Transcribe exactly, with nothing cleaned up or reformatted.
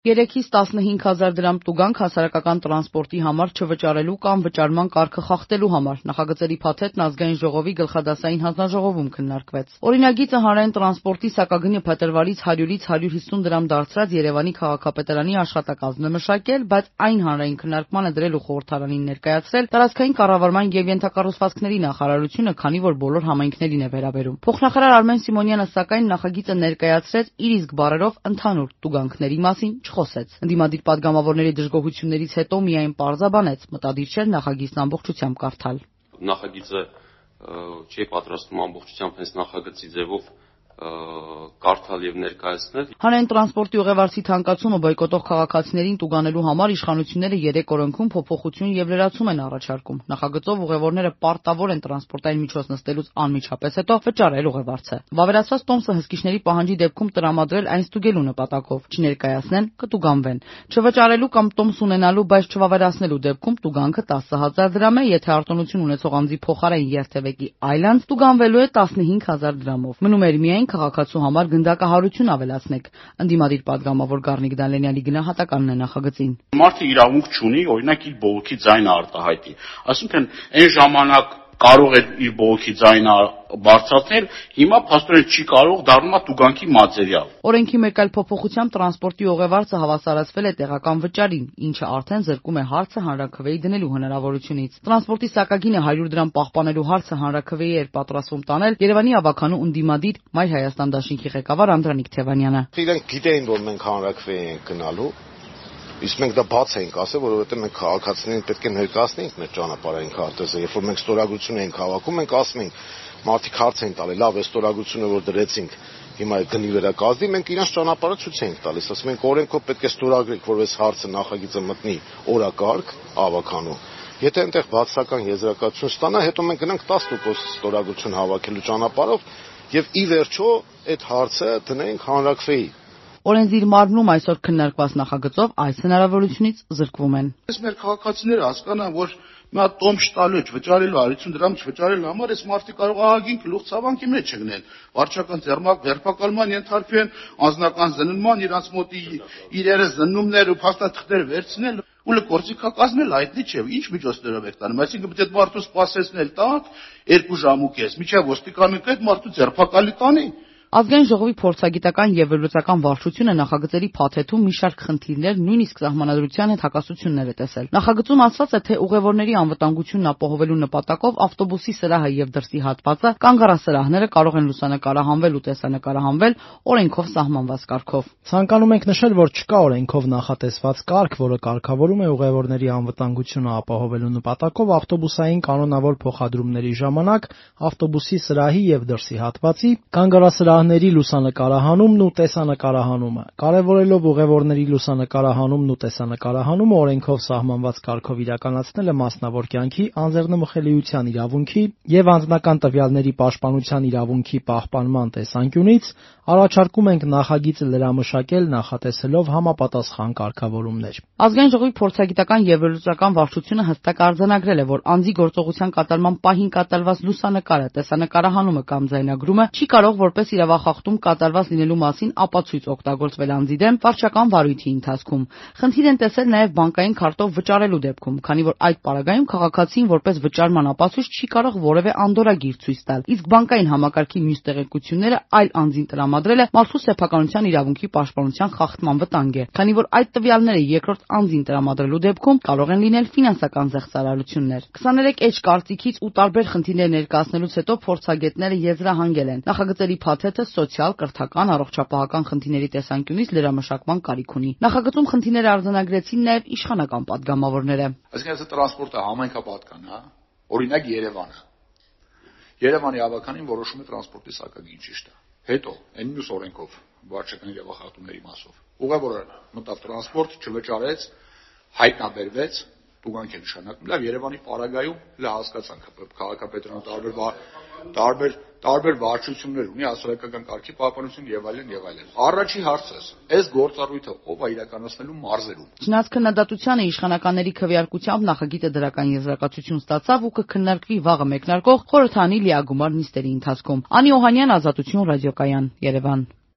երեքից տասնհինգ հազար դրամ տուգանք հասարակական տրանսպորտի համար չվճարելու կամ վճարման կարգը խախտելու համար նախագծերի փաթեթն ազգային ժողովի գլխադասային հանձնաժողովում քննարկվեց։ Օրինագիծը հանրային տրանսպորտի սակագնը փետրվարից հարյուրից հարյուր հիսուն դրամ դարձրած Երևանի քաղաքապետարանի աշխատակազմն է մշակել, բայց այն հանրային քննարկմանը դրելու խորհրդարանին ներկայացրել տարածքային կառավարման եւ ենթակառուցվածքների նախարարությունը, քանի որ բոլոր համայնքներին է վերաբերում։ Փոխնախարար Արմեն Սիմոնյանը սակայն նախագիծը ներկայացրեց իր իսկ բառերով ընդհանուր տուգանքների մասին չխոսեց։ Ընդդիմադիր падգամավորների դժգոհություններից հետո միայն պարզաբանեց, մտադիր չէր նախագիծն ամբողջությամբ կարդալ։ Նախագիծը չի պատրաստվում ամբողջությամբ հենց նախագծի ձևով կարդալ եւ ներկայացնել։ Հանրային տրանսպորտի ուղևորցի թանկացումը բոյկոտող քաղաքացիներին տուգանելու համար իշխանությունները երեք օրենքում փոփոխություն եւ լրացում են առաջարկում։ Նախագծով ուղևորները պարտավոր են տրանսպորտային միջոց նստելուց անմիջապես հետո վճարել ուղևորցը։ Վավերացված տոմսը հսկիչների պահանջի դեպքում տրամադրել այն ստուգելու նպատակով, չներկայացնեն, կտուգանվեն։ Չվճարելու կամ տոմս ունենալու, բայց չվավերացնելու դեպքում տուգանքը տասը հազար դրամ է, եթե արտոնություն ունեցող անձի փոխարեն երթևեկի այլ անձ տուգանվելու է տասնհինգ հազար դրամով։ Մնում էր միայն քաղաքացու համար գնդակահարություն ավելացնեք։ Ընդդիմադիր падգամավոր Գառնիկ Դալենյանի գնահատականն է նախագծին։ Մարդը իրավունք չունի, օրինակ իր բողոքի ձայնը արտահայտի։ Այսինքն այն ժամանակ կարող էր իր բողոքի ձայնը բարձրացնել, հիմա փաստորեն չի կարող, դառնում է տուգանքի մատերիալ։ Օրենքի մեկ այլ փոփոխությամբ տրանսպորտի ուղևորցը հավասարացվել է տեղական վճարին, ինչը արդեն զրկում է հարցը հանրաքվեի դնելու հնարավորությունից։ Տրանսպորտի սակագինը հարյուր դրամ պահպանելու հարցը հանրաքվեի էր պատրաստվում տանել Երևանի ավականու ընդդիմադիր Մայր Հայաստան դաշինքի ղեկավար Անդրանիկ Թևանյանը։ Իրենք գիտեին, որ մենք հանրաքվեի ենք գնալու, իսկ մենք դա բաց էինք ասել, որովհետև մենք քաղաքացիներին պետք է ներկայացնենք մեր ճանապարհային քարտեզը, երբ որ մենք ստորագրություն ենք հավաքում, մենք ասում ենք, մարդիկ հարց են տալի, լավ, այս ստորագրությունը որ դրեցինք, հիմա գնի վրա կազդի, մենք իրանց ճանապարհը ցույց ենք տալիս, ասում ենք օրենքով պետք է ստորագրենք, որպես հարցը նախագիծը մտնի օրակարգ ավականու։ Եթե այնտեղ բացական եզրակացություն ստանա, հետո մենք գնանք տասը տոկոս ստորագրություն հավաքելու ճանապարհով եւ ի վերջո այդ հարցը դնենք հանրաքվեի։ Օրենսդիր մարմնում այսօր քննարկված նախագծով այս հնարավորությունից զրկվում են։ Այս մեր քաղաքացիները հասկանան, որ մի հատ տոմս տալու չվճարելու հարյուն դրամ չվճարելու համար այս մարդիկ կարող ահագին գլուխ ցավանքի մեջ չգնեն։ Վարչական ձեռնարկման ենթարկվեն, անձնական զննման, իրանց մոտ իրերը զննումներ ու փաստաթղթեր վերցնել ու լկորցիկա կազմել, հայտնի չէ, ինչ միջոցներով եք տանում։ Այսինքն պետք է մարդու սպասեցնել տակ երկու ժամ ու կես, մինչև ոստիկանին այդ մարդու ձերբակալի տանի։ Ազգային ժողովի փորձագիտական եւ վերլուծական վարչությունը նախագծերի փաթեթում մի շարք խնդիրներ, նույնիսկ սահմանադրության հետ հակասություններ է տեսել։ Նախագծում ասված է, թե ուղևորների անվտանգությունն ապահովելու նպատակով ավտոբուսի սրահը եւ դրսի հատվածը, կանգառասրահները կարող են լուսանկարահանվել ու տեսանկարահանվել օրենքով սահմանված կարգով։ Ցանկանում ենք նշել, որ չկա օրենքով նախատեսված կարգ, որը կարգավորում է ուղևորների անվտանգությունը ապահովելու նպատակով ավտոբուսային կանոնավոր փոխադրումների ժամանակ ավտոբուսի սրահի եւ դրսի հատվածի կանգառասրահ ների լուսանկարահանումն ու տեսանկարահանումը։ Կարևորելով ուղևորների լուսանկարահանումն ու տեսանկարահանումը օրենքով սահմանված կարգով իրականացնելը մասնավոր կյանքի անձեռնմխելիության իրավունքի եւ անձնական տվյալների պաշտպանության իրավունքի պահպանման տեսանկյունից առաջարկում ենք նախագիծը լրամշակել նախատեսելով համապատասխան կարգավորումներ։ Ազգային ժողովի փորձագիտական եւ վերլուծական վարչությունը հստակ արձանագրել է, որ անձի գործողության կատարման պահին կատարված լուսանկարը, տեսանկարահանումը կամ ձայնագրումը չի կարող որպես իրավախախտում կատարված լինելու մասին ապացույց օգտագործվել անձի դեմ վարչական վարույթի ընթացքում։ Խնդիր են տեսել նաև բանկային քարտով վճարելու դեպքում, քանի որ այդ պարագայում քաղաքացին որպես վճարման ապացույց չի կարող որևէ անդորրագիր ցույց տալ, իսկ բանկային համակարգի մյուս տեղեկությունները այլ անձին տրամադրելը մարդու սեփականության իրավունքի պաշտպանության խախտման վտանգ է, քանի որ այդ տվյալները երկրորդ անձին տրամադրելու դեպքում կարող են լինել ֆինանսական զեղծարարություններ։ քսաներեք էջ կարծիքից ու տարբեր խնդիրներ ներկայացնելուց հետո փորձագետները եզրահանգել են նախագծերի փաթեթը սոցիալ, կրթական, առողջապահական խնդիրների տեսանկյունից լրամշակման կարիք ունի։ Նախագծում խնդիրներ արձանագրեցին նաև իշխանական падգամավորները։ Այսինքն այս տրանսպորտը համայնքապատկան է, օրինակ Երևանը։ Երևանի ավականին որոշում է տրանսպորտի սակագին ճիշտ է։ Հետո այն մյուս օրենքով վարչական իրավախախտումների մասով ուղևորը մտավ տրանսպորտ, չվճարեց, հայտնաբերվեց, տուգանք է նշանակում։ Լավ, Երևանի պարագայում լավ հասկացանք, քաղաքապետարանը տարբեր տարբեր տարբեր վարչություններ ունի, հասարակական կարգի պահպանություն եւ այլն եւ այլն։ Առաջի հարցս, այս գործառույթը ով է իրականացնելու մարզերում։ Չնայած քննադատությանը իշխանականների քվեարկությամբ նախագիծը դրական եզրակացություն ստացավ ու կքննարկվի վաղը մեկնարկող խորհրդանի լիագումար նիստերի ընթացքում։ Անի Օհանյան, Ազատություն ռադիոկայան, Երևան։